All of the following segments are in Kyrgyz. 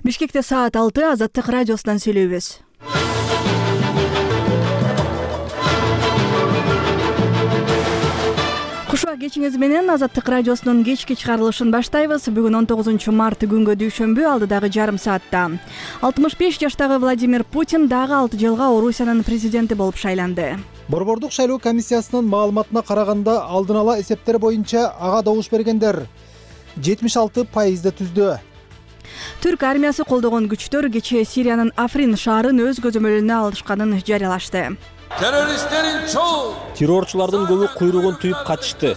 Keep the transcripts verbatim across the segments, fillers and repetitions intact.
Бишкекте саат алты, Азаттык радиосунан сүйлөйбүз. Кушуа кечиңиз менен Азаттык радиосунун кечки чыгарылышын баштайбыз. Бүгүн он тогузунчу март күнгө дүйшөмбү, алдыдагы жарым саатта. алтымыш беш жаштагы Владимир Путин дагы алты жылга Орусиянын президенти болуп шайланды. Борбордук шайлоо комиссиясынын маалыматына караганда, алдын ала эсептер боюнча ага добуш бергендер жетимиш алты пайызды түздү. Түрк армиясы колдогон күчтөр кечээ Сириянын Африн шаарын өз көзөмөлүнө алышканын жарыялашты. Террористтерин чоң террорчулардын көбү куйругун түйүп качышты.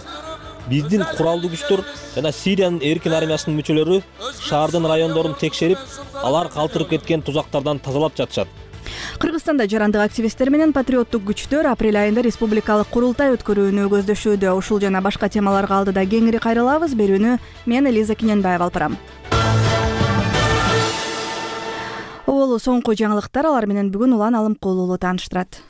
Биздин куралдуу күчтөр жана Сириянын эркин армиясынын мүчөлөрү шаардын райондорун текшерип, алар калтырып кеткен тузактардан тазалап жатышат. Кыргызстанда жарандык активисттер менен патриоттук күчтөр апрель айында республикалык курултай өткөрүүнү көздөшүүдө. Ушул жана башка темаларга алдыда кеңири кайрылабыз. Берүүнү мен Элиза Киненбаева алып барам. Оболу соңку жаңылыктар, алар менен бүгүн Улан Алымкулуу тааныштырат.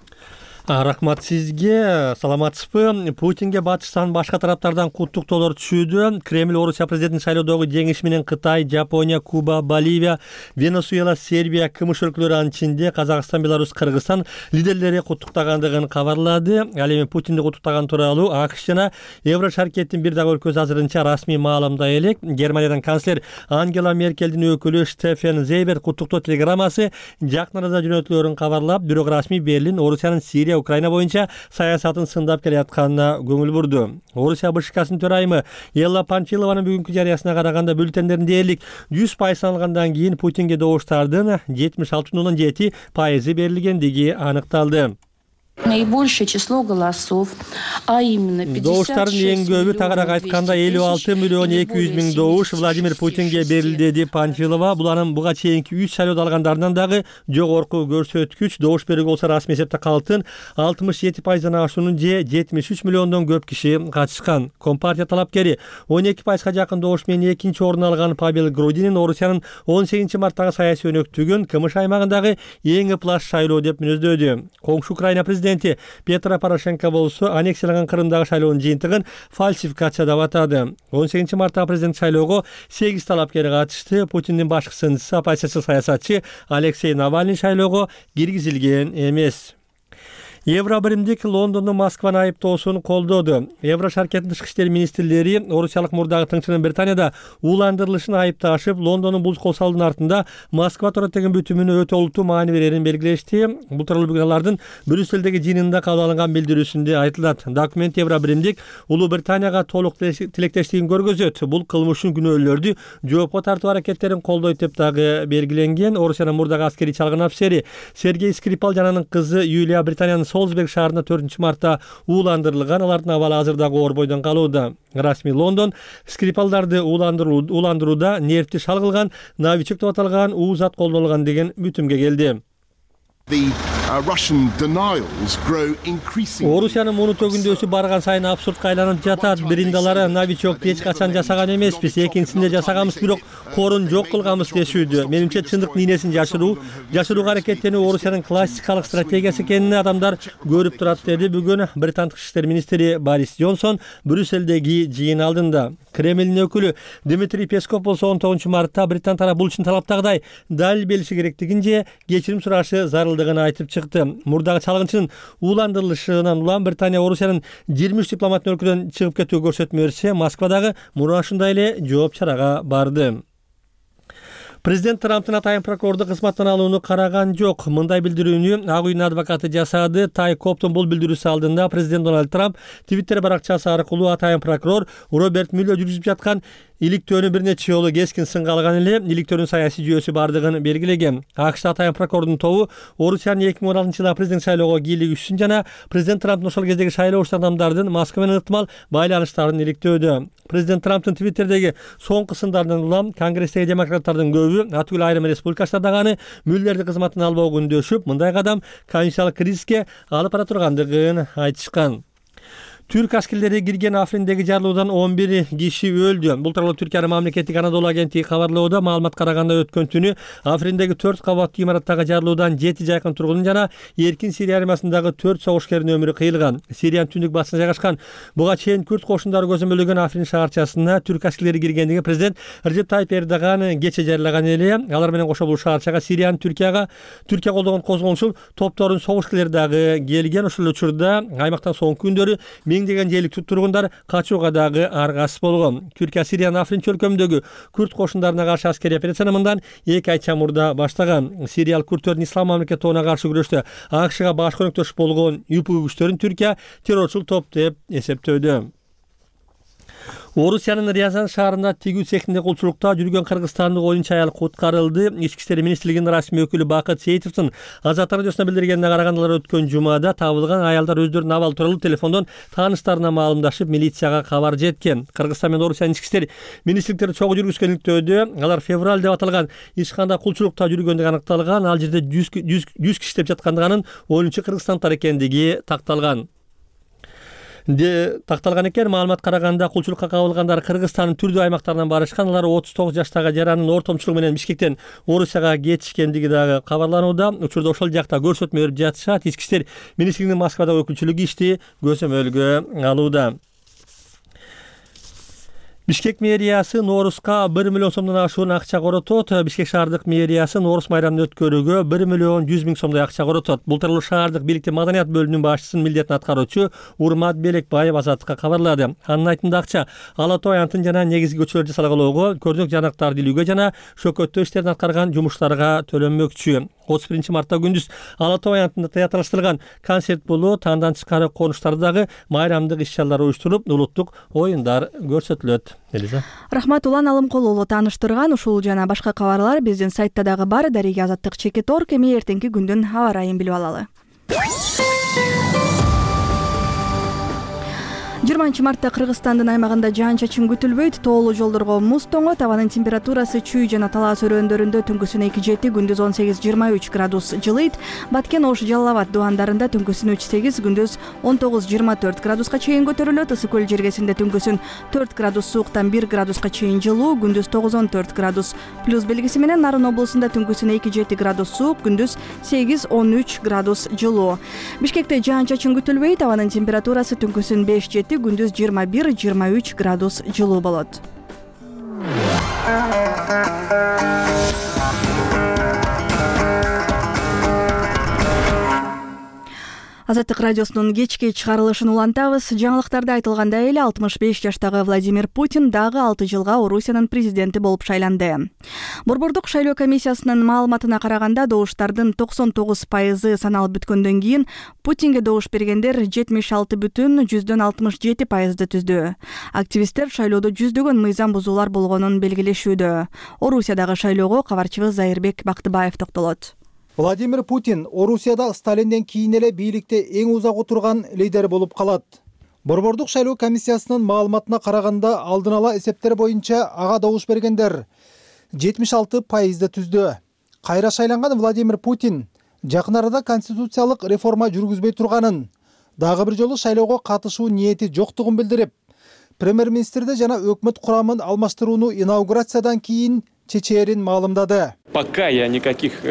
Рахмат сизге. Саламатсызбы? Путинге батыштан башка тараптардан куттуктоолор түшүүдө. Кремль Орусия президентин шайлоодогу жеңиши менен Кытай, Жапония, Куба, Боливия, Венесуэла, Сербия, КМШ өлкөлөрү, анын ичинде Казакстан, Беларусь, Кыргызстан лидерлери куттуктагандыгын кабарлады. Ал эми Путинди куттуктаган тууралуу АКШ жана Евро шаркеттин бир дагы өлкөсү азырынча расмий маалымдай элек. Германиядан канцлер Ангела Меркелдин өкүлү Штефен Зейбер куттуктоо телеграммасы жакын арада жөнөтүлөрүн кабарлап, бирок расмий Берлин Орусиянын Сирия, Украина боюнча саясатын сындап келе атканына көңүл бурду. Орусия БШКсынын төрайымы Элла Панфилованын бүгүнкү жарыясына караганда, бюллетендердин дээрлик жүз пайыз алынгандан кийин Путинге добуштардын жетимиш алты бүтүн ондон жети пайызы берилгендиги аныкталды. Наибольшее число голосов, а именно добуштардын эң көбү, тагыраак айтканда элүү алты миллион эки жүз миң добуш Владимир Путинге берилди, деди Панфилова. Бул анын буга чейинки үч шайлоодо алгандарынан дагы жогорку көрсөткүч. Добуш берүүгө болсо расмий эсепте калктын алтымыш жети пайыздан ашуунун же жетимиш үч миллиондон көп киши катышкан. Компартия талапкери он эки пайызга жакын добуш менен экинчи орун алган Павел Грудинин Орусиянын он сегизинчи марттагы саясий өнөктүгүн КМШ аймагындагы эң ыплас шайлоо деп мүнөздөдү. Коңшу Украина президенти Петро Порошенко болсо аннексияланган Крымдагы шайлоонун жыйынтыгын фальсификация деп атады. он сегизинчи марттагы президент шайлоого сегиз талапкер катышты. Путиндин башкы сындысы, оппозициячыл саясатчы Алексей Навальный шайлоого киргизилген эмес. Евробиримдик Лондондун Москваны айыптоосун колдоду. Евро шаркеттин тышкы иштер министрлери орусиялык мурдагы тыңчынын Британияда ууландырылышын айыпташып, Лондондун бул кол салуунун артында Москва туурат деген бүтүмүнө өтө олуттуу маани берерин белгилешти. Бул тууралуу бүгүн алардын Брюссельдеги жыйынында кабыл алынган билдирүүсүндө айтылат. Документ Евробиримдик Улуу Британияга толук тилектештигин көргөзөт. Бул кылмыштын күнөөлөрдү жоопко тартуу аракеттерин колдойт деп дагы белгиленген. Орусиянын мурдагы аскерий чалгын офицери Сергей Скрипал жана анын кызы Юлия Британиянын Солсберг шаарында төртүнчү мартта ууландырылган. Алардын абалы азырдагы оор бойдон калууда. Расмий Лондон Скрипалдарды ууландырууда нервти шал кылган новичок деп аталган уу зат колдонулган деген бүтүмгө келди. Орусиянын муну төгүндөөсү барган сайын абсурдка айланып жатат. Биринде алар новичокду эч качан жасаган эмеспиз, экинчисинде жасаганбыз, бирок корун жок кылганбыз дешүүдө. Менимче чындыктын ийнесин жашыруу, жашырууга аракеттенүү Орусиянын классикалык стратегиясы экенин адамдар көрүп турат, деди бүгүн Британ тышкы иштер министри Борис Джонсон Брюссельдеги жыйын алдында. Кремлдин өкүлү Дмитрий Песков болсо он тогузунчу мартта Британ тарап бул үчүн талаптагыдай далил бериши керектигин же кечирим сурашы зарылдыгын айтып чыкты. Мурдагы чалгынчынын ууландырылышынан улам Британия Орусиянын жыйырма үч дипломатын өлкөдөн чыгып кетүү көрсөтмө берсе, Москвадагы муну ушундай эле жооп чарага барды. Президент Трамптын атайын прокурорду кызматтан алууну караган жок. Мындай билдирүүнү Ак үйдүн адвокаты жасады. Тай Коптун бул билдирүүсү алдында президент Дональд Трамп Твиттер баракчасы аркылуу атайын прокурор Роберт Мюллер жүргүзүп жаткан иликтөөнү бир нече жолу кескин сынга алган эле иликтөөнүн саясий жүйөсү бардыгын белгилеген. АКШ атайын прокурордун тобу Орусиянын эки миң он алтынчы жылы президент шайлоого кийлигишүүсүн жана президент Трамптын ошол кездеги шайлоо учурда адамдардын Москва менен ыктымал байланыштарын иликтөөдө. Президент Трамптын Твиттердеги соңку сындарынан улам Конгресстеги демократтардын көбү, атүгүл айрым республикачылар дагы аны Мюллерди кызматтан албоого үндөшүп, мындай кадам конституциялык кризиске алып бара тургандыгын айтышкан. Түрк аскерлери кирген Африндеги жарылуудан он бир киши өлдү. Бул тууралуу Түркиянын мамлекеттик Анадолу агенттиги кабарлоодо. Маалымат караганда өткөн түнү Африндеги төрт кабаттуу имараттагы жарылуудан жети жайкын тургун жана Эркин Сирия армиясындагы төрт согушкердин өмүрү кыйылган. Сириянын түндүк батышында жайгашкан буга чейин күрд кошундары көзөмөлдөгөн Африн шаарчасына түрк аскерлери киргендиги президент Режеп Тайип Эрдоган кече жарылаган эле. Алар менен кошо бул шаарчага Сириянын Түркияга Түркия колдогон козголушул топтордун согушкерлери дагы келген. Ошол учурда аймактан соңку күндөрү миңдеген жергиликтүү тургундар качууга дагы аргасыз болгон. Түркия Сириянын Африн чөлкөмүндөгү күрд кошундарына каршы аскерий операцияны мындан эки ай чамурда баштаган. Сириялык күрдтөрдүн ислам мамлекети тобуна каршы күрөштө АКШга баш көмөктөш болгон ЮПУ күчтөрүн Түркия террорчул топ деп эсептөөдө. Орусиянын Рязань шаарында тигүү цехинде кулчулукта жүргөн кыргызстандык оюнчу аял куткарылды. Ички иштер министрлигинин расмий өкүлү Бакыт Сейитовдун Азат радиосуна билдиргенине караганда, алар өткөн жумада табылган аялдар өздөрүнүн абалы тууралуу телефондон тааныштарына маалымдашып, милицияга кабар жеткен. Кыргызстан менен Орусиянын ички иштер министрликтери чогуу жүргүзгөнлүктөдө алар февраль деп аталган ичканда кулчулукта жүргөндүгү аныкталган. Ал жерде жүз киши иштеп жаткандыгы, анын оюнчу кыргызстандыктар экендиги такталган. Де такталган экен. Маалымат караганда кулчулукка кабылгандар Кыргызстандын түрдүү аймактарынан барышкан. Алар отуз тогуз жаштагы жаранын ортомчулугу менен Бишкектен Орусияга кетишкендиги дагы кабарланууда. Учурда ошол жакта көрсөтмө берип жатышат. Ички иштер министрлигинин Москвадагы өкүлчүлүгү ишти көзөмөлгө алууда. Бишкек мэриясы Ноорузга бир миллион сомдон ашуун акча коротот. Бишкек шаардык мэриясы Ноорус майрамын өткөрүүгө бир миллион жүз миң сомдой акча коротот. Бул тууралуу шаардык бийликтин маданият бөлүмүнүн башчысынын милдетин аткаруучу Урмат Белекбаев Азаттыкка кабарлады. Анын айтымында акча Ала Тоо аянтын жана негизги көчөлөрдү салгалоого, көрдүк жанактарды илүүгө жана шөкөттөө иштерин аткарган жумуштарга төлөнмөкчү. отуз биринчи мартта күндүз Ала Тоо аянтында театралаштырылган концерт болуу, таандан тышкары конуштардагы майрамдык иш-чаралар уюштурулуп, улуттук оюндар көрсөтүлөт. Элиза. Рахмат Улан Алымкулуулу тааныштырган. Ушул жана башка кабарлар биздин сайтта дагы бар. Дарига Азаттык чекит точка орг. Эми эртеңки күндүн аба ырайын билип алалы. жыйырманчы мартта Кыргызстандын аймагында жаан-чачын күтүлбөйт. Тоолуу жолдорго муз тоңот. Абанын температурасы чүй жана талаас өрөөндөрүндө түнкүсүн эки жети, күндүз он сегиз жыйырма үч градус жылыйт. Баткен, Ош, Жалал Абад дубандарында түнкүсүн үч сегиз, күндүз он тогуз жыйырма төрт градуска чейин көтөрүлөт. Ысык көл жергесинде түнкүсүн төрт градус сууктан бир градуска чейин жылуу, күндүз тогуз он төрт градус плюс белгиси менен. Нарын облусунда түнкүсүн эки жети градус суук, күндүз сегиз он үч градус жылуу. Бишкекте жаан-чачын күтүлбөйт. Абанын температурасы түнкүсүн беш жети, күндүз жыйырма бир жыйырма үч градус жылуу болот. Азаттык радиосунун кечки чыгарылышын улантабыз. Жаңылыктарда айтылгандай эле алтымыш беш жаштагы Владимир Путин дагы алты жылга Орусиянын президенти болуп шайланды. Борбордук шайлоо комиссиясынын маалыматына караганда, добуштардын токсон тогуз пайызы саналып бүткөндөн кийин Путинге добуш бергендер жетимиш алты бүтүн жүздөн алтымыш жети пайызды түздү. Активисттер шайлоодо жүздөгөн мыйзам бузуулар болгонун белгилешүүдө. Орусиядагы шайлоого кабарчыбыз Зайырбек Бактыбаев токтолот. Владимир Путин Орусияда Сталинден кийин эле бийликте эң узак отурган лидер болуп калат. Борбордук шайлоо комиссиясынын маалыматына караганда, алдын ала эсептер боюнча ага добуш бергендер жетимиш алты пайызды түздү. Кайра шайланган Владимир Путин жакын арада конституциялык реформа жүргүзбөй турганын, дагы бир жолу шайлоого катышуу ниети жоктугун билдирип, премьер-министрди жана өкмөт курамын алмаштырууну инаугурациядан кийин чечээрин маалымдады. Пока я никаких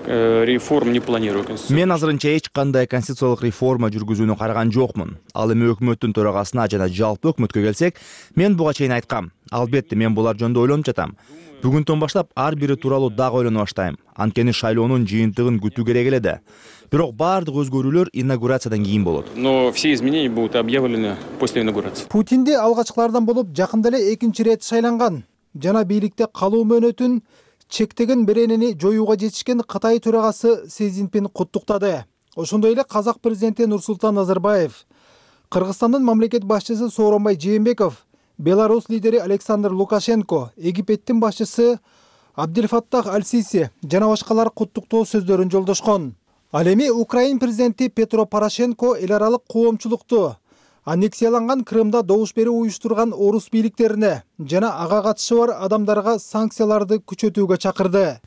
реформ не планирую. Мен азырынча эч кандай конституциялык реформа жүргүзүүнү караган жокмун. Ал эми өкмөттүн төрагасына жана жалпы өкмөткө келсек, мен буга чейин айткам. Албетте мен булар жөнүндө ойлонуп жатам. Бүгүнтөн баштап ар бири тууралуу дагы ойлоно баштайм. Анткени шайлоонун жыйынтыгын күтүү керек эле да. Бирок баардык өзгөрүүлөр инаугурациядан кийин болот. Но все изменения будут объявлены после инаугурации. Путинди алгачкылардан болуп жакында эле экинчи рет шайланган жана бийликте калуу мөөнөтүн чектеген беренени жоюуга жетишкен Кытай төрагасы Си Цзиньпин куттуктады. Ошондой эле казак президенти Нурсултан Назарбаев, Кыргызстандын мамлекет башчысы Сооронбай Жээнбеков, Беларусь лидери Александр Лукашенко, Египеттин башчысы Абдельфаттах Аль-Сиси жана башкалар куттуктоо сөздөрүн жолдошкон. Ал эми Украин президенти Петро Порошенко эл аралык коомчулукту аннексияланган Крымда добуш берүү уюштурган орус бийликтерине жана ага катышы бар адамдарга санкцияларды күчөтүүгө чакырды.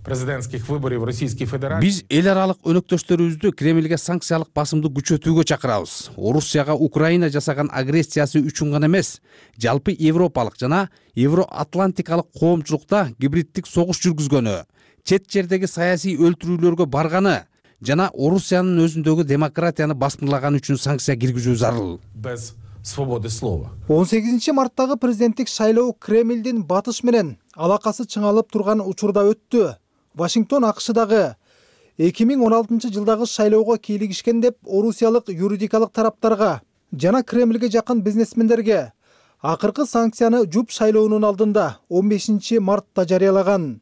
президентских выборов Российской Федерации. Биз эл аралык өнөктөштөрүбүздү Кремльге санкциялык басымды күчөтүүгө чакырабыз. Орусияга Украина жасаган агрессиясы үчүн гана эмес, жалпы европалык жана евроатлантикалык коомчулукта гибриддик согуш жүргүзгөнү, чет жердеги саясий өлтүрүүлөргө барганы жана Орусиянын өзүндөгү демократияны басмырлаган үчүн санкция киргизүү зарыл. Без свободы слова. он сегизинчи марттагы президенттик шайлоо Кремлдин батыш менен алакасы чыңалып турган учурда өттү. Вашингтон АКШдагы эки миң он алтынчы жылдагы шайлоого кийлигишкен деп орусиялык юридикалык тараптарга жана Кремльге жакын бизнесмендерге акыркы санкцияны жуп шайлоонун алдында он бешинчи мартта жарыялаган.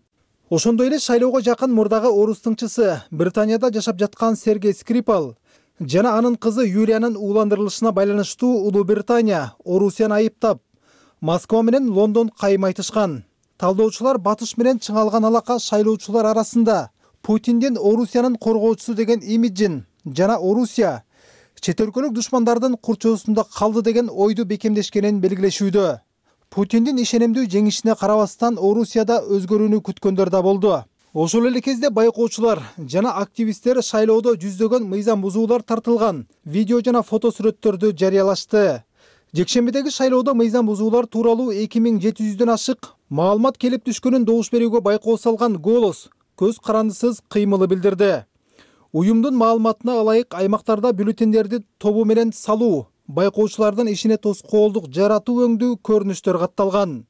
Ошондой эле шайлоого жакын мурдагы орус тыңчысы Британияда жашап жаткан Сергей Скрипал жана анын кызы Юлиянын ууландырылышына байланыштуу Улуу Британия Орусияны айыптап, Москва менен Лондон кайым айтышкан. Талдоочулар батыш менен чыңалган алака шайлоочулар арасында Путиндин Орусиянын коргоочусу деген имиджин жана Орусия чет өлкөлүк душмандардын курчоосунда калды деген ойду бекемдешкенин белгилешүүдө. Путиндин ишенимдүү жеңишине карабастан Орусияда өзгөрүүнү күткөндөр да болду. Ошол эле кезде байкоочулар жана активисттер шайлоодо жүздөгөн мыйзам бузуулар тартылган видео жана фото сүрөттөрдү жарыялашты. Жекшембидеги шайлоодо мыйзам бузуулар тууралуу эки миң жети жүздөн ашык маалымат келип түшкөнүн добуш берүүгө байкоо салган «Голос» көз карандысыз кыймылы билдирди. Уюмдун маалыматына ылайык аймактарда бюллетендерди тобу менен салуу, байкоочулардын ишине тоскоолдук жаратуу өңдүү көрүнүштөр катталган.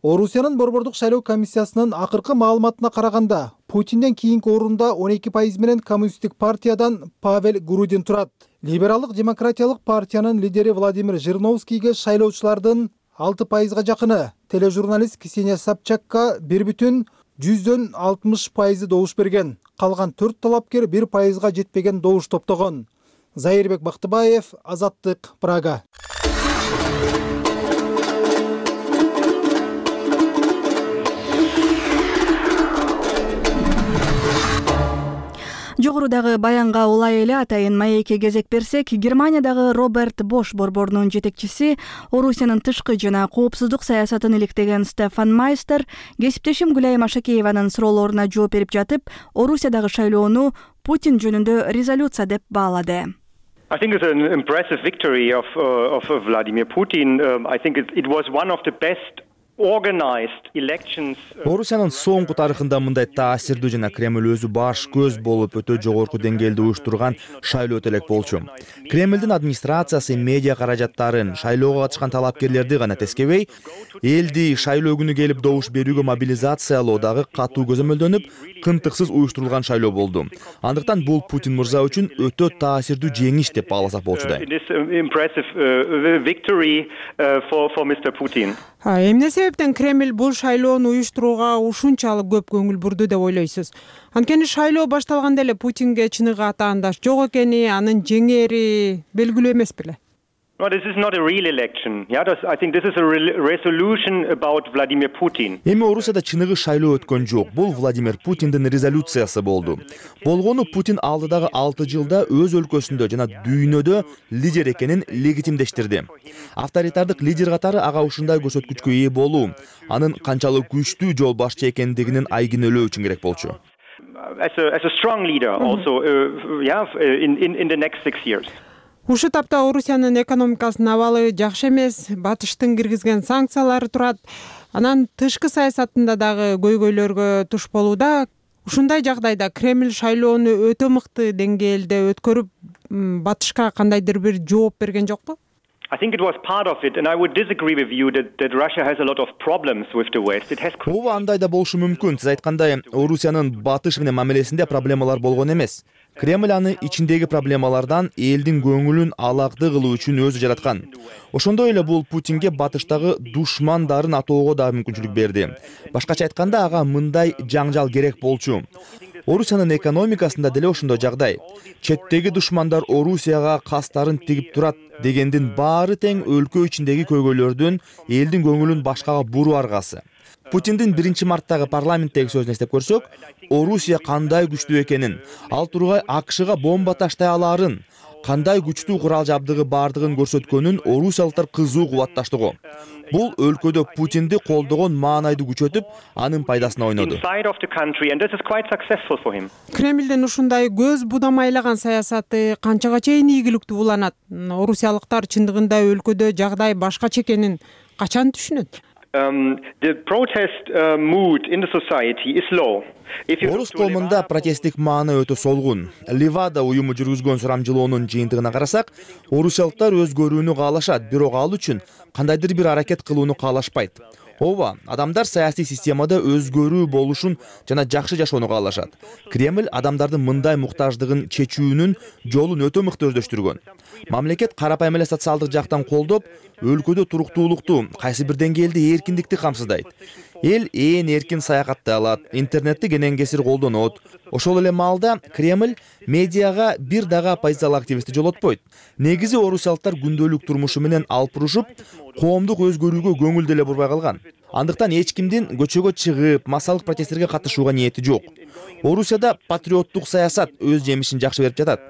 Орусиянын борбордук шайлоо комиссиясынын акыркы маалыматына караганда, Путинден кийинки орунда он эки пайыз менен Коммунисттик партиядан Павел Грудин турат. Либералдык демократиялык партиянын лидери Владимир Жириновскийге шайлоочулардын алты пайызга жакыны, тележурналист Ксения Собчакка бир бүтүн жүздөн алтымыш пайызы добуш берген. Калган төрт талапкер бир пайызга жетпеген добуш топтогон. Зайырбек Бактыбаев, Азаттык, Прага. Жогорудагы баянга улай эле атайын маекке кезек берсек, Германиядагы Роберт Бош борборунун жетекчиси, Орусиянын тышкы жана коопсуздук саясатын иликтеген Стефан Майстер кесиптешим Гүлайым Ашакееванын суроолоруна жооп берип жатып, Орусиядагы шайлоону Путин жөнүндө резолюция деп баалады. I think it's an impressive victory of uh, of Vladimir Putin. Um, I think it, it was one of the best Орусиянын соңку тарыхында мындай таасирдүү жана Кремль өзү баш көз болуп өтө жогорку деңгээлде уюштурган шайлоо элек болчу. Кремлдин администрациясы медиа каражаттарын, шайлоого катышкан талапкерлерди гана тескебей, элди шайлоо күнү келип добуш берүүгө мобилизациялоо дагы катуу көзөмөлдөнүп, кынтыксыз уюштурулган шайлоо болду. Андыктан бул Путин мырза үчүн өтө таасирдүү жеңиш деп бааласак болчудай. Эмне себептен Кремль бул шайлоону уюштурууга ушунчалык көп көңүл бурду деп ойлойсуз? Анткени шайлоо башталганда эле Путинге чыныгы атаандаш жок экени, анын жеңери белгилүү эмес беле? No, this is not a real election. Yeah, this, I think this is a re resolution about Vladimir Putin. Эми Орусияда чыныгы шайлоо өткөн жок. Бул Владимир Путиндин резолюциясы болду. Болгону Путин алдыдагы алты жылда өз өлкөсүндө жана дүйнөдө лидер экенин легитимдештирди. Авторитардык лидер катары ага ушундай көрсөткүчкө ээ болуу, анын канчалык күчтүү жол башчы экендигинин айгинөлөө үчүн керек болчу. As a as a strong leader also uh, yeah in in in the next six years. Ушу тапта Орусиянын экономикасынын абалы жакшы эмес, батыштын киргизген санкциялары турат. Анан тышкы саясатында дагы көйгөйлөргө туш болууда. Ушундай жагдайда Кремль шайлоону өтө мыкты деңгээлде өткөрүп, батышка кандайдыр бир жооп берген жокпу? I think it was part of it, and I would disagree with you that, that Russia has a lot of problems with the West. It has. Ооба, андай да болушу мүмкүн. Сиз айткандай, Орусиянын батыш менен мамилесинде проблемалар болгон эмес. Кремль аны ичиндеги проблемалардан элдин көңүлүн алакты кылуу үчүн өзү жараткан. Ошондой эле бул Путинге батыштагы душмандарын атоого да мүмкүнчүлүк берди. Башкача айтканда, ага мындай жаңжал керек болчу. Орусиянын экономикасында деле ошондой жагдай. Четтеги душмандар Орусияга кастарын тигип турат дегендин баары тең өлкө ичиндеги көйгөйлөрдүн элдин көңүлүн башкага буруу аргасы. Путиндин биринчи марттагы парламенттеги сөзүн эстеп көрсөк, Орусия кандай күчтүү экенин, ал тургай АКШга бомба таштай алаарын, кандай күчтүү курал жабдыгы бардыгын көрсөткөнүн орусиялыктар кызуу кубатташтыгы. Бул өлкөдө Путинди колдогон маанайды күчөтүп, анын пайдасына ойноду. Кремлдин ушундай көз будамайлаган саясаты канчага чейин ийгиликтүү уланат? Орусиялыктар чындыгында өлкөдө жагдай башкача экенин качан түшүнөт? Um, the protest uh, mood in the society is low. Орус коомунда протесттик мааны өтө солгун. Левада уюму жүргүзгөн сурамжылоонун жыйынтыгына карасак, орусиялыктар өз көрүүнү каалашат, бирок ал үчүн кандайдыр бир аракет кылууну каалашпайт. Ооба, адамдар саясий системада өзгөрүү болушун жана жакшы жашоону каалашат. Кремль адамдардын мындай муктаждыгын чечүүнүн жолун өтө мыкты өздөштүргөн. Мамлекет карапайым эле социалдык жактан колдоп, өлкөдө туруктуулукту, кайсы бир деңгээлде эркиндикти камсыздайт. Эл ээн эркин саякаттай алат, интернетти кенен кесир колдонот. Ошол эле маалда Кремль медиага бир дагы оппозициялык активистти жолотпойт. Негизи орусиялыктар күндөлүк турмушу менен алпурушуп, коомдук өзгөрүүгө көңүл деле бурбай калган. Андыктан эч кимдин көчөгө чыгып, массалык протесттерге катышууга ниети жок. Орусияда патриоттук саясат өз жемишин жакшы берип жатат.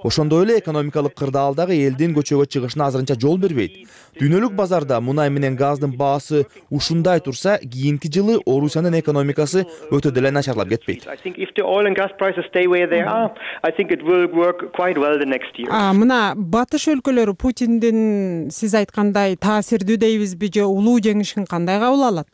Ошондой эле экономикалык кырдаалдагы элдин көчөгө чыгышына азырынча жол бербейт. Дүйнөлүк базарда мунай менен газдын баасы ушундай турса, кийинки жылы Орусиянын экономикасы өтө деле начарлап кетпейт. А мына батыш өлкөлөрү Путиндин сиз айткандай таасирдүү дейбизби же улуу жеңишин кандай кабыл алат?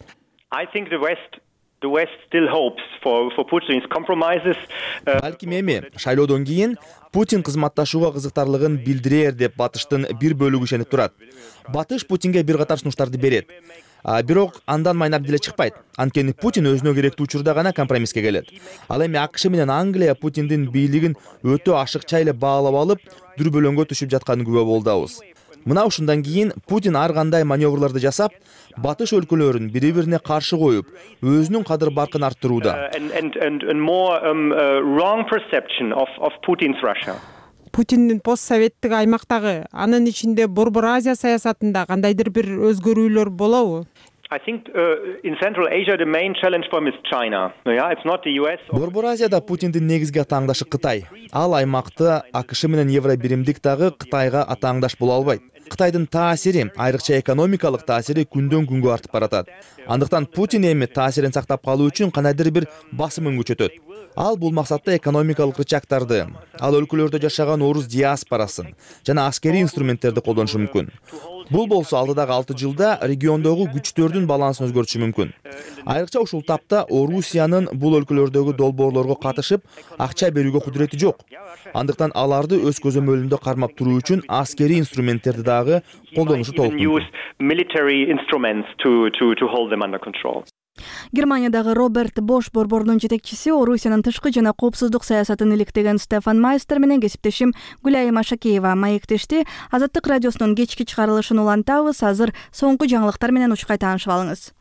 I think the West The West still hopes for for Putin's compromises. Балким эми шайлоодон кийин Путин кызматташууга кызыктарлыгын билдирер деп батыштын бир бөлүгү ишенип турат. Батыш Путинге бир катар сунуштарды берет. Бирок андан майнап деле чыкпайт. Анткени Путин өзүнө керектүү учурда гана компромисске келет. Ал эми АКШ менен Англия Путиндин бийлигин өтө ашыкча эле баалап алып, дүрбөлөңгө түшүп жатканын күбө болдубуз. Мына ушундан кийин Путин ар кандай маневрларды жасап, батыш өлкөлөрүн бири-бирине каршы коюп, өзүнүн кадыр баркын арттырууда. Путиндин постсоветтик аймактагы, анын ичинде Борбор Азия саясатында кандайдыр бир өзгөрүүлөр болобу? I think uh, in Central Asia the main challenge for him is China. Yeah, it's not the U S. Борбор Азияда Путиндин негизги атааңдашы Кытай. Ал аймакты АКШ менен Евробиримдик дагы Кытайга атааңдаш боло албайт. Кытайдын таасири, айрыкча экономикалык таасири күндөн күнгө артып баратат. Андыктан Путин эми таасирин сактап калуу үчүн кандайдыр бир басымын күчөтөт. Ал бул максатта экономикалык рычагтарды, ал өлкөлөрдө жашаган орус диаспорасын жана аскерий инструменттерди колдонушу мүмкүн. Бул болсо алдыдагы алты жылда региондогу күчтөрдүн балансын өзгөртүшү мүмкүн. Айрыкча ушул тапта Орусиянын бул өлкөлөрдөгү долбоорлорго катышып, акча берүүгө кудурети жок. Андыктан аларды өз көзөмөлүндө кармап туруу үчүн аскерий инструменттерди дагы колдонушу толук мүмкүн. Германиядагы Роберт Бош борборунун жетекчиси Орусиянын тышкы жана коопсуздук саясатын иликтеген Стефан Майстер менен кесиптешим Гүлайым Ашакеева маектешти. Азаттык радиосунун кечки чыгарылышын улантабыз. Азыр соңку жаңылыктар менен учкай таанышып алыңыз.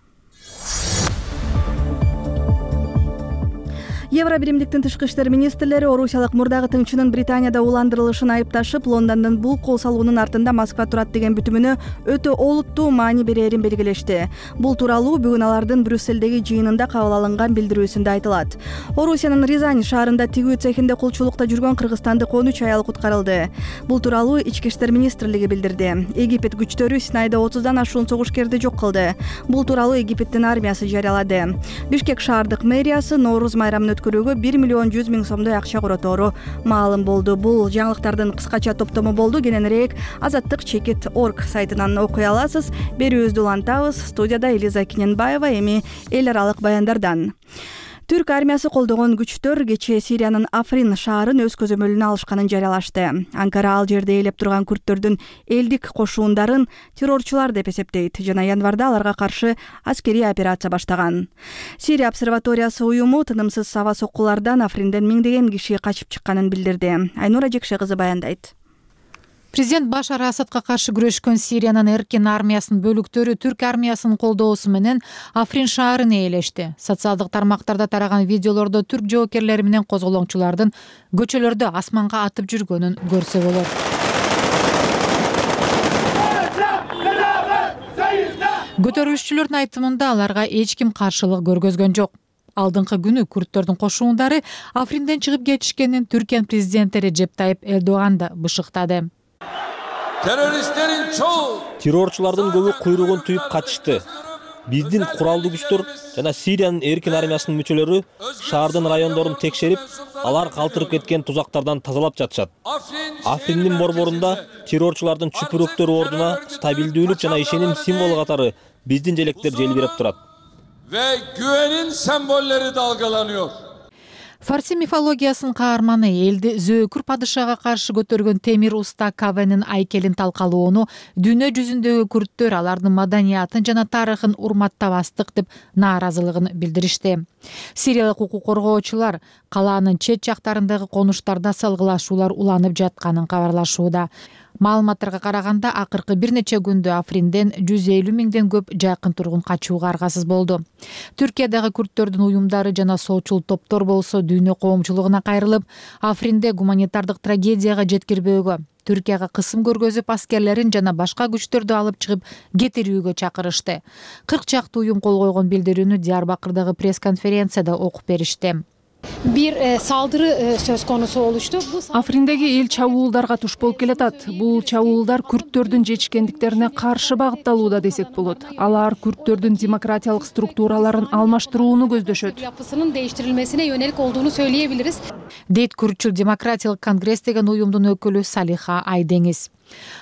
Евробиримдиктин тышкы иштер министрлери орусиялык мурдагы тыңчынын Британияда уландырылышын айыпташып, Лондондун бул кол салуунун артында Москва турат деген бүтүмүнө өтө олуттуу маани берерин белгилешти. Бул тууралуу бүгүн алардын Брюссельдеги жыйынында кабыл алынган билдирүүсүндө айтылат. Орусиянын Рязань шаарында тигүү цехинде кулчулукта жүргөн кыргызстандык он үч аял куткарылды. Бул тууралуу Ички иштер министрлиги билдирди. Египет күчтөрү Синайда отуздан ашуун согушкерди жок кылды. Бул тууралуу Египеттин армиясы жарыялады. Бишкек шаардык мэриясы Нооруз майрамын өткөрүүгө бир миллион жүз миң сомдой акча коротору маалым болду. Бул жаңылыктардын кыскача топтому болду. Кененирээк азаттык чекит точка орг сайтынан окуй аласыз. Берүүбүздү улантабыз. Студияда Элиза Кененбаева, эми эл аралык баяндардан. Түрк армиясы колдогон күчтөр кечээ Сириянын Африн шаарын өз көзөмөлүнө алышканын жарыялашты. Анкара ал жерде ээлеп турган күрттөрдүн элдик кошуундарын террорчулар деп эсептейт жана январда аларга каршы аскерий операция баштаган. Сирия обсерваториясы уюму тынымсыз аба соккулардан Афринден миңдеген киши качып чыкканын билдирди. Айнура Жекше кызы баяндайт. Президент Башар Асадка каршы күрөшкөн Сириянын эркин армиясынын бөлүктөрү Түрк армиясынын колдоосу менен Африн шаарын ээлешти. Социалдык тармактарда тараган видеолордо түрк жоокерлери менен козголоңчулардын көчөлөрдө асманга атып жүргөнүн көрсө болот. Көтөрүлүшчүлөрдүн айтымында аларга эч ким каршылык көргөзгөн жок. Алдыңкы күнү күрттөрдүн кошуундары Афринден чыгып кетишкенин Түркиянын президенти Режеп Тайып Эрдоган да бышыктады. Teröristlerin çoğu Террорчулардын көбү куйругун түйүп качышты. Биздин куралдуу күчтөр жана Сириянын эркин армиясынын мүчөлөрү шаардын райондорун текшерип, алар калтырып кеткен тузактардан тазалап жатышат. Африндин борборунда террорчулардын чүпүрөктөрү ордуна стабилдүүлүк жана ишеним символу катары биздин желектер желбиреп турат. ve güvenin sembolleri dalgalanıyor. Фарси мифологиясынын каарманы элди зөөкүр падышага каршы көтөргөн темир уста Кавенин айкелин талкалоону дүйнө жүзүндөгү күрттөр алардын маданиятын жана тарыхын урматтабастык деп нааразылыгын билдиришти. Сириялык укук коргоочулар калаанын чет жактарындагы конуштарда салгылашуулар уланып жатканын кабарлашууда. Маалыматтарга караганда акыркы бир нече күндө Афринден жүз элүү миңден көп жакын тургун качууга аргасыз болду. Түркиядагы күрттөрдүн уюмдары жана солчул топтор болсо дүйнө коомчулугуна кайрылып, Афринде гуманитардык трагедияга жеткирбөөгө, Түркияга кысым көргөзүп аскерлерин жана башка күчтөрдү алып чыгып кетирүүгө чакырышты. кырк чакты уюм кол койгон билдирүүнү Диярбакырдагы пресс-конференцияда окуп беришти. Бир салдыры сөз конусу болушту. Африндеги эл чабуулдарга туш болуп келатат. Бул чабуулдар күрттөрдүн жетишкендиктерине каршы багытталууда десек болот. Алар күрттөрдүн демократиялык структураларын алмаштырууну көздөшөт. Yapısının değiştirilmesine yönelik olduğunu söyleyebiliriz. Дейт Күртчүл демократиялык конгресс деген уюмдун өкүлү Салиха Айдеңиз.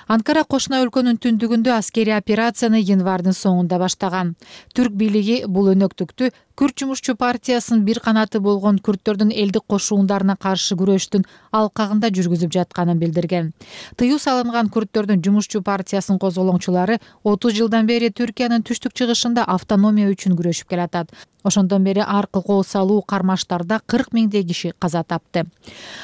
Анкара кошуна өлкөнүн түндүгүндө аскерий операцияны январдын соңунда баштаган. Түрк бийлиги бул өнөктүктү Күрт жумушчу партиясынын бир канаты болгон күрттөрдүн элдик кошуундарына каршы күрөштүн алкагында жүргүзүп жатканын билдирген. Тыюу салынган күрттөрдүн жумушчу партиясынын козголоңчулары отуз жылдан бери Түркиянын түштүк чыгышында автономия үчүн күрөшүп келатат. Ошондон бери аркы кол салуу кармаштарда кырк миңдей киши каза тапты.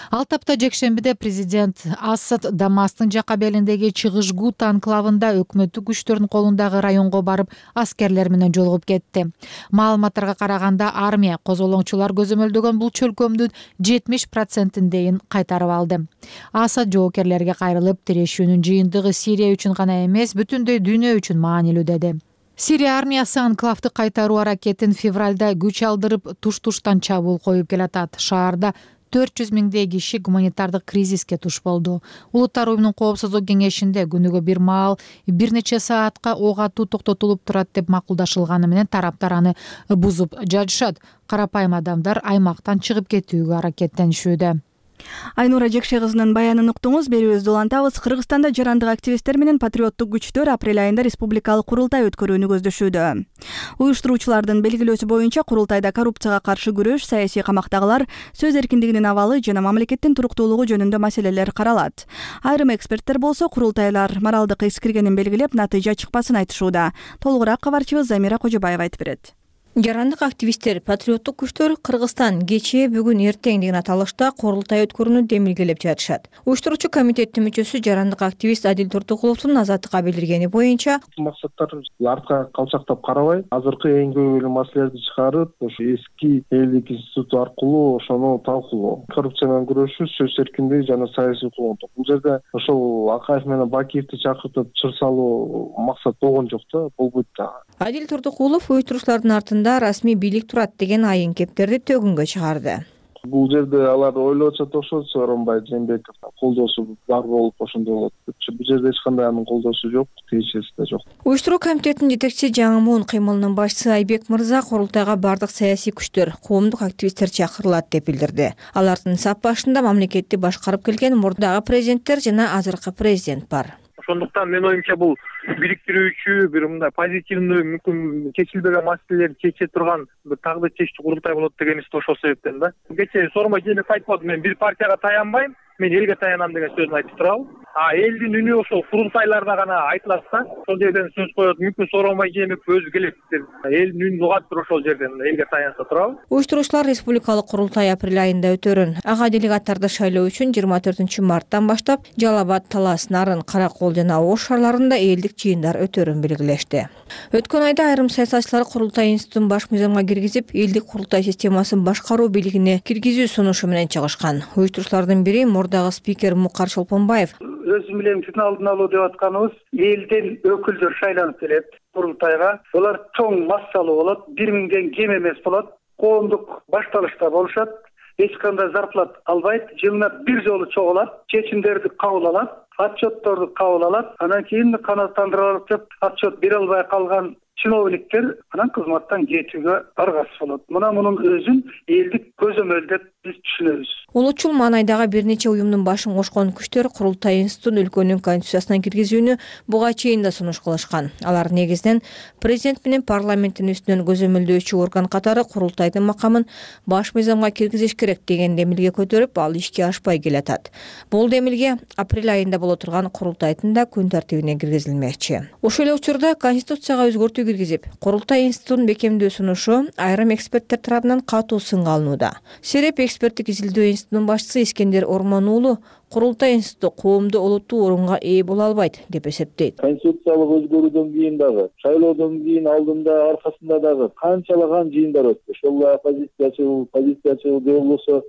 Ал тапта жекшембиде президент Асад Дамастын жака белиндеги Чыгыш Гута анклавында өкмөттүк күчтөрдүн колундагы районго барып аскерлер менен жолугуп кетти. Маалыматтарга караганда армия козголоңчулар көзөмөлдөгөн бул чөлкөмдүн жетимиш процентиндейин кайтарып алды. Асад жоокерлерге кайрылып, тирешүүнүн жыйынтыгы Сирия үчүн гана эмес, бүтүндөй дүйнө үчүн маанилүү деди. Сирия армиясы анклавды кайтаруу аракетин февралда күч алдырып туш-туштан чабуул коюп келатат. Шаарда төрт жүз миңдей киши гуманитардык кризиске туш болду. Улуттар уюмунун коопсуздук кеңешинде күнүгө бир маал бир нече саатка ок атуу токтотулуп турат деп макулдашылганы менен тараптар аны бузуп жатышат. Карапайым адамдар аймактан чыгып кетүүгө аракеттенишүүдө. Айнура Жекше кызынын баянын уктуңуз. Берүүбүздү улантабыз. Кыргызстанда жарандык активисттер менен патриоттук күчтөр апрель айында республикалык курултай өткөрүүнү көздөшүүдө. Уюштуруучулардын белгилөөсү боюнча курултайда коррупцияга каршы күрөш, саясий камактагылар, сөз эркиндигинин абалы жана мамлекеттин туруктуулугу жөнүндө маселелер каралат. Айрым эксперттер болсо курултайлар моралдык эскиргенин белгилеп, натыйжа чыкпасын айтышууда. Толугураак кабарчыбыз Замира Кожобаева айтып берет. Жарандык активисттер, патриоттук күчтөр Кыргызстан кечээ бүгүн эртең деген аталышта курултай өткөрүүнү демилгелеп жатышат. Уюштуруучу комитеттин мүчөсү жарандык активист Адил Турдукуловдун азаттыкка билдиргени боюнча, максаттар артка калчактап карабай, азыркы эң көбүлүү маселелерди чыгарып, ошо эски элдик институт аркылуу ошону талкуулоо. Коррупция менен күрөшүү, сөз эркиндиги жана саясий коомдук. Бул жерде ошол Акаев менен Бакиевди чакыртып чыр салуу максат болгон жок да, болбойт да. Адил Турдукулов уюштуруучулардын артында расмий бийлик турат деген айын кептерди төгүнгө чыгарды. Бул жерде алар ойлоп атышат окшойт, Сооронбай Жээнбеков колдоосу бар болуп ошондой болот депчи. Бул жерде эч кандай анын колдоосу жок, тиешеси да жок. Уюштуруу комитетинин жетекчиси Жаңы Муун кыймылынын башчысы Айбек Мырза курултайга бардык саясий күчтөр, коомдук активисттер чакырылат деп билдирди. Алардын сап башында мамлекетти башкарып келген мурдагы президенттер жана азыркы президент бар. Ошондуктан мен оюмча бул бириктирүүчү, бир мындай позитивдүү, мүмкүн чечилбеген маселелерди чече турган бир тагды чечтүү курултай болот дегенибизди ошол себептен да. Кечээ Сооронбай Жээнбеков айтып атты, мен бир партияга таянбайм, мен элге таянам деген сөзүн айтып турабы. А элдин үнү ошол курултайларда гана айтылат да. Ошол жерден сөз коет, мүмкүн Сооронбай Жээнбеков өзү келет деп элдин үнүн угаттыр ошол жерден элге таянса турабы. Уюштуруучулар республикалык курултай апрель айында өтөрүн. Ага делегаттарды шайлоо үчүн жыйырма төртүнчү марттан баштап Жалал Абад, Талас, Нарын, Каракол жана Ош шаарларында элдик жыйындар өтөрүн белгилешти. Өткөн айда айрым саясатчылар курултай институтун баш мыйзамга киргизип, элдик курултай системасын башкаруу бийлигине киргизүү сунушу менен чыгышкан. Уюштуруучулардын бири мурдагы спикер Мукар Шолпонбаев. Өзүм менен бүтүн алдын алуу деп атканыбыз, элден өкүлдөр шайланып келет курултайга. Булар чоң массалуу болот, бир миңден кем эмес болот. коомдук башталышта болушат, эч кандай зарплат албайт, жылына бир жолу чогулат, чечимдерди кабыл алат, отчетторду кабыл алат, анан кийин канааттандырылып деп отчет бере албай калган чиновниктер анан кызматтан кетүүгө аргасыз болот. Мына мунун өзүн элдик көзөмөлдөп биз түшүнөбүз. Улучул маанайдагы бир нече уюмдун башын кошкон күчтөр курултай институтун өлкөнүн конституциясына киргизүүнү буга чейин да сунуш кылышкан. Алар негизинен президент менен парламенттин үстүнөн көзөмөлдөөчү орган катары курултайдын макамын баш мыйзамга киргизиш керек деген демилге көтөрүп, ал ишке ашпай келатат. Бул демилге апрель айында боло турган курултайдын да күн тартибине киргизилмекчи. Ошол эле учурда конституцияга өзгөртүү киргизип, курултай институтун бекемдөө сунушу айрым эксперттер тарабынан катуу сынга алынууда. Сереп эксперттик изилдөө институтунун башчысы Искендер Ормон уулу курултай институту коомдо олуттуу орунга ээ боло албайт деп эсептейт. Конституциялык өзгөрүүдөн кийин дагы, шайлоодон кийин алдында аркасында дагы канчалаган жыйындар өттү. Ошол оппозициячыл, позициячыл же болбосо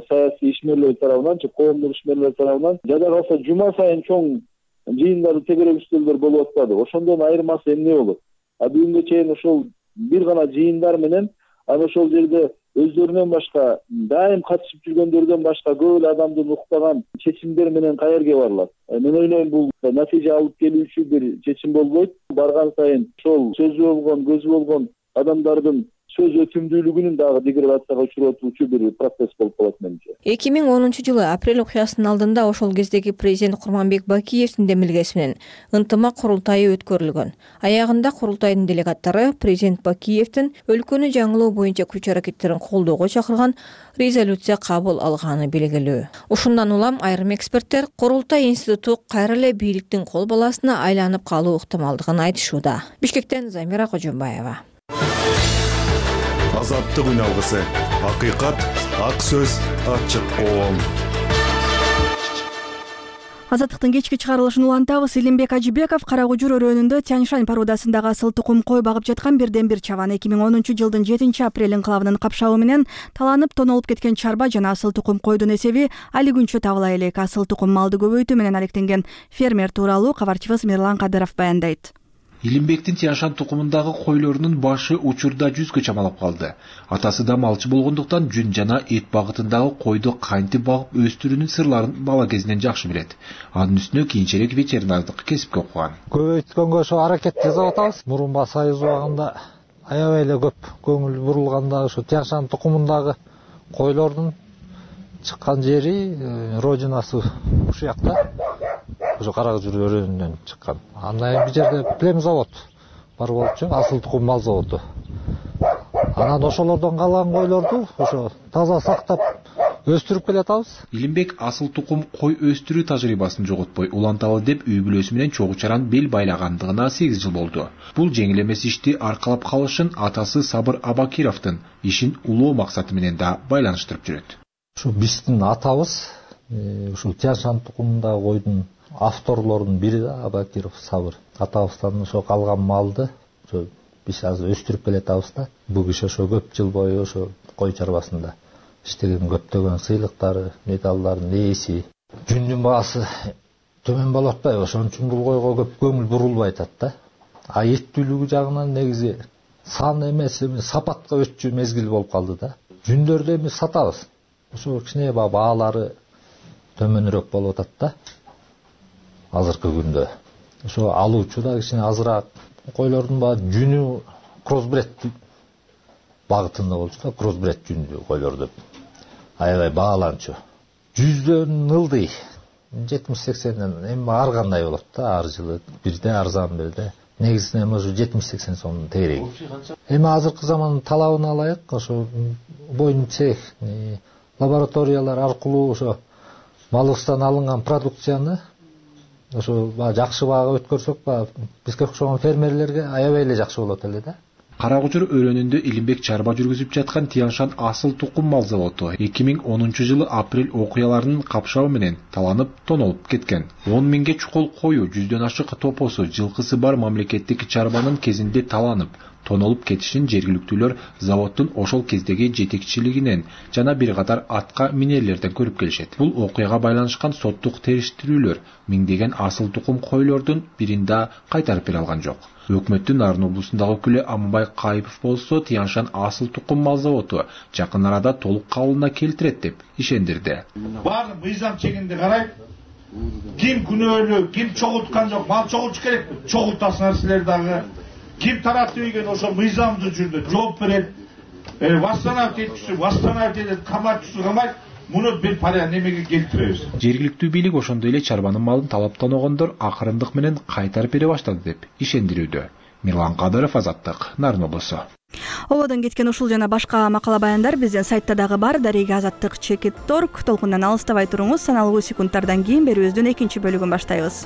саясий ишмерлер тарабынан, коомдук ишмерлер тарабынан жада калса жума сайын чоң жыйындар, тегерек үстөлдөр болуп атпады. Ошондон айырмасы эмне болот? А бүгүнгө чейин ошол бир гана жыйындар менен анан ошол жерде өздөрүнөн башка, дайым катышып жүргөндөрдөн башка көп эле адамдын уктаган чечимдер менен каерге барылат. Мен ойлойм, бул натыйжа алып келүүчү бир чечим болбойт. Барган сайын ошол сөзү болгон, көзү болгон адамдардын сөз өтүмдүүлүгүнүн дагы деградацияга учуратуучу бир процесс болуп калат менимче. эки миң онунчу жылы апрель окуясынын алдында ошол кездеги президент Курманбек Бакиевдин демилгеси менен ынтымак курултайы өткөрүлгөн. Аягында курултайдын делегаттары президент Бакиевдин өлкөнү жаңылоо боюнча күч аракеттерин колдоого чакырган резолюция кабыл алганы белгилүү. Ушундан улам айрым эксперттер курултай институту кайра эле бийликтин кол баласына айланып калуу ыктымалдыгын айтышууда. Бишкектен Замира Кожомбаева. Азаттык үн алгысы, акыйкат, ак сөз, ачык коом. Азаттыктын кечки чыгарылышын улантабыз. Илимбек Ажибеков Карагужур өрөөнүндө Тяньшань порудасындагы асыл тукум кой багып жаткан бирден бир чабан эки миң онунчу жылдын жетинчи апрель инкылабынын капшабы менен таланып тонолуп кеткен чарба жана асыл тукум койдун эсеби али күнчө табыла элек. Асыл тукум малды көбөйтүү менен алектенген фермер тууралуу кабарчыбыз Мирлан Кадыров баяндайт. Илимбектин Тяньшань тукумундагы койлорунун башы учурда жүзгө чамалап калды. Атасы да малчы болгондуктан жүн жана эт багытындагы койду кантип багып өстүрүүнүн сырларын бала кезинен жакшы билет. Анын үстүнө кийинчерээк ветеринардык кесипке окуган. Көбөйткөнгө ошо аракет жасап атабыз. Мурунба союз убагында аябай эле көп көңүл бурулганда ошо Тяньшань тукумундагы койлордун чыккан жери, родинасы ушул жакта. Ошо Карагужур өрөөнүнөн чыккан. Андан кийин бул жерде плем завод бар болчу, асыл тукум мал заводу. Анан ошолордон калган койлорду ошо таза сактап өстүрүп келатабыз. Илимбек асыл тукум кой өстүрүү тажрыйбасын жоготпой уланталы деп үй бүлөсү менен чогуу чаран бел байлагандыгына сегиз жыл болду. Бул жеңил эмес ишти аркалап калышын атасы Сабыр Абакировдун ишин улоо максаты менен да байланыштырып жүрөт. Ушу биздин атабыз ушул Тяньшань тукумундагы койдун авторлордун бири да Абакиров Сабыр. Атабыздан ошо калган малды ошо биз азыр өстүрүп келатабыз да. Бул киши ошо көп жыл бою ошо кой чарбасында иштеген, көптөгөн сыйлыктары, медалдардын ээси. Жүндүн баасы төмөн болуп атпайбы? Ошон үчүн бул койго көп көңүл бурулбай атат да. А эттүүлүгү жагынан негизи сан эмес, сапатка өтчү мезгил болуп калды да. Жүндөрдү эми сатабыз. Ошо кичине баалары төмөнүрөөк болуп атат да. Азыркы күндө ошо алуучу да кичине азыраак. Койлордун баары жүнү кроссбред багытында болчу да, кроссбред жүндүү койлорду аябай бааланчу. Жүздөн ылдый жетимиш сексенден эми ар кандай болот да, ар жылы бирде арзан бирде. Негизинен ошо жетимиш сексен сомдун тегереги. Эми азыркы замандын талабын алайык, ошо бойын цех, лабораториялар аркылуу ошо малыбыздан алынган продукцияны ошо жакшы баага өткөрсөк, бизге окшогон фермерлерге аябай эле жакшы болот эле да. Карагужур өрөөнүндө Илимбек чарба жүргүзүп жаткан Тяньшань асыл тукум мал заводу эки миң онунчу жылы апрель окуяларынын капшабы менен таланып тонолуп кеткен. он миңге чукул кою, жүздөн ашык топосу, жылкысы бар мамлекеттик чарбанын кезинде таланып тонолуп кетишин жергиликтүүлөр заводдун ошол кездеги жетекчилигинен жана бир катар атка минерлерден көрүп келишет. Бул окуяга байланышкан соттук териштирүүлөр миңдеген асыл тукум койлордун бирин да кайтарып бере алган жок. Өкмөттүн Нарын облусундагы өкүлү Аманбай Кайыпов болсо Тянь-Шань асыл тукум мал заводу жакын арада толук кабылына келтирет деп ишендирди. Баардык мыйзам чегинде карайт. Ким күнөөлүү, ким чогулткан жок, мал чогултуш керек. Чогултасыңар силер дагы. Ким таратып ийген ошо мыйзамдуу жүрдө жооп берет. Восстановить эткүсү, восстановить этет, каматчысы камайт. Муну бир паря немеге келтиребиз. Жергиликтүү бийлик ошондой эле чарбанын малын талаптаногондор акырындык менен кайтарып бере баштады деп ишендирүүдө. Мирлан Кадыров, Азаттык, Нарын облусу. Ободон кеткен ушул жана башка макала баяндар биздин сайтта дагы бар. Дарега азаттык чекит точка орг. Толкундан алыстабай туруңуз. Саналуу секундтардан кийин берүүбүздүн экинчи бөлүгүн баштайбыз.